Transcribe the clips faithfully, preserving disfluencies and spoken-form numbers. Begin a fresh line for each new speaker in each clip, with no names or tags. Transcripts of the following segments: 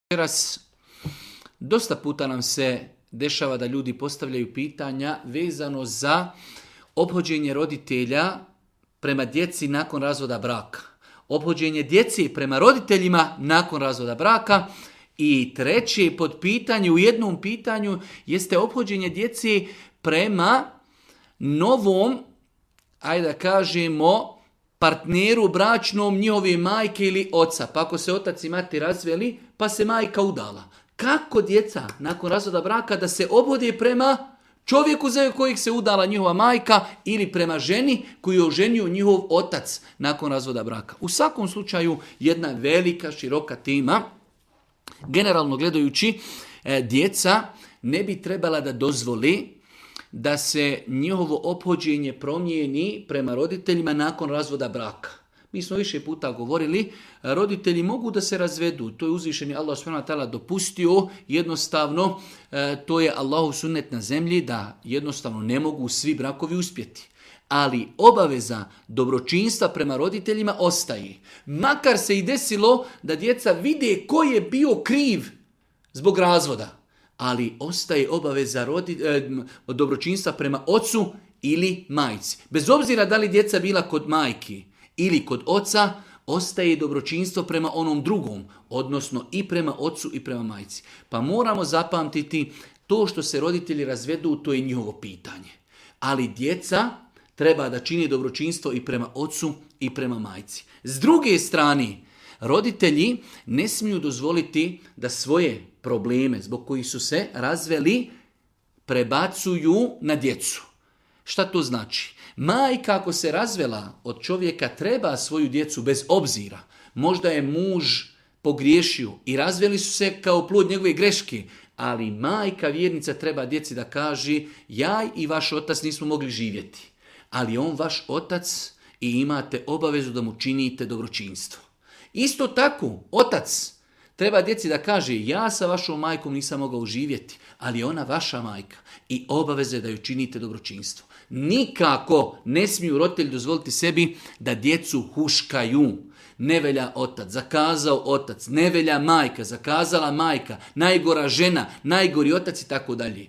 Večeras dosta puta nam se dešava da ljudi postavljaju pitanja vezano za ophođenje roditelja prema djeci nakon razvoda braka. Ophođenje djeci prema roditeljima nakon razvoda braka. I treće pod pitanje u jednom pitanju jeste ophođenje djeci prema novom, ajde da kažemo, partneru bračnom njihove majke ili oca. Pa ako se otac i mati razveli, pa se majka udala. Kako djeca nakon razvoda braka da se ophode prema čovjeku za kojeg se udala njihova majka ili prema ženi koju je oženio njihov otac nakon razvoda braka? U svakom slučaju jedna velika, široka tema. Generalno gledajući, djeca ne bi trebala da dozvoli da se njihovo ophođenje promijeni prema roditeljima nakon razvoda braka. Mi smo više puta govorili, roditelji mogu da se razvedu, to je uzvišeni Allah subhanahu wa ta'ala dopustio, jednostavno to je Allahov sunnet na zemlji da jednostavno ne mogu svi brakovi uspjeti. Ali obaveza dobročinstva prema roditeljima ostaje. Makar se i desilo da djeca vide ko je bio kriv zbog razvoda. Ali ostaje obaveza rodi, eh, dobročinstva prema ocu ili majci. Bez obzira da li djeca bila kod majki ili kod oca, ostaje dobročinstvo prema onom drugom, odnosno i prema ocu i prema majci. Pa moramo zapamtiti, to što se roditelji razvedu, to je njihovo pitanje. Ali djeca treba da čini dobročinstvo i prema ocu i prema majci. S druge strane, roditelji ne smiju dozvoliti da svoje probleme zbog kojih su se razveli prebacuju na djecu. Šta to znači? Majka ako se razvela od čovjeka treba svoju djecu bez obzira. Možda je muž pogriješio i razveli su se kao plod njegove greške, ali majka vjernica treba djeci da kaže ja i vaš otac nismo mogli živjeti, ali on vaš otac i imate obavezu da mu činite dobročinstvo. Isto tako, otac treba djeci da kaže ja sa vašom majkom nisam mogao živjeti, ali ona vaša majka i obaveze da ju činite dobročinstvo. Nikako ne smiju roditelji dozvoliti sebi da djecu huškaju. Ne velja otac, zakazao otac, ne velja majka, zakazala majka, najgora žena, najgori otac i tako dalje.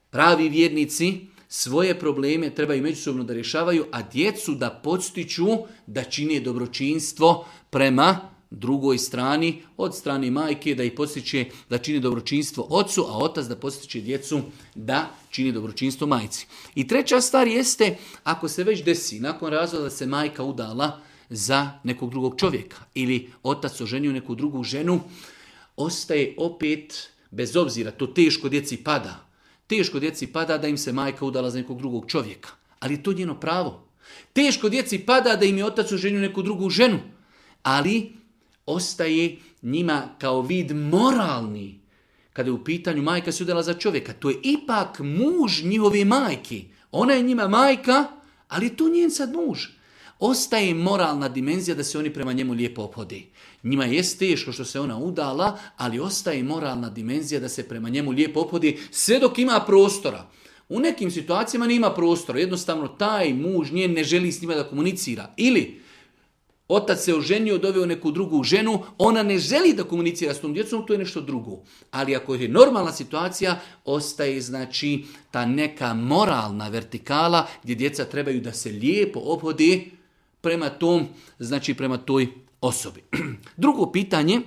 Pravi vjernici svoje probleme trebaju međusobno da rješavaju, a djecu da podstiču da čine dobročinstvo prema drugoj strani, od strane majke da ih podstiče da čini dobročinstvo ocu, a otac da podstiče djecu da čini dobročinstvo majci. I treća stvar jeste, ako se već desi nakon razvoda da se majka udala za nekog drugog čovjeka ili otac oženio neku drugu ženu, ostaje opet, bez obzira, to teško djeci pada. Teško djeci pada da im se majka udala za nekog drugog čovjeka, ali je to njeno pravo. Teško djeci pada da im je otac oženio neku drugu ženu, ali ostaje njima kao vid moralni. Kada je u pitanju majka se udala za čovjeka, to je ipak muž njihove majke. Ona je njima majka, ali to njen sad muž. Ostaje moralna dimenzija da se oni prema njemu lijepo ophode. Njima je teško što se ona udala, ali ostaje moralna dimenzija da se prema njemu lijepo ophode sve dok ima prostora. U nekim situacijama nema prostora. Jednostavno taj muž njen ne želi s njima da komunicira. Ili otac se oženio, doveo neku drugu ženu, ona ne želi da komunicira s tom djecom, to je nešto drugo. Ali ako je normalna situacija, ostaje znači ta neka moralna vertikala gdje djeca trebaju da se lijepo ophode prema tom, znači prema toj osobi. Drugo pitanje,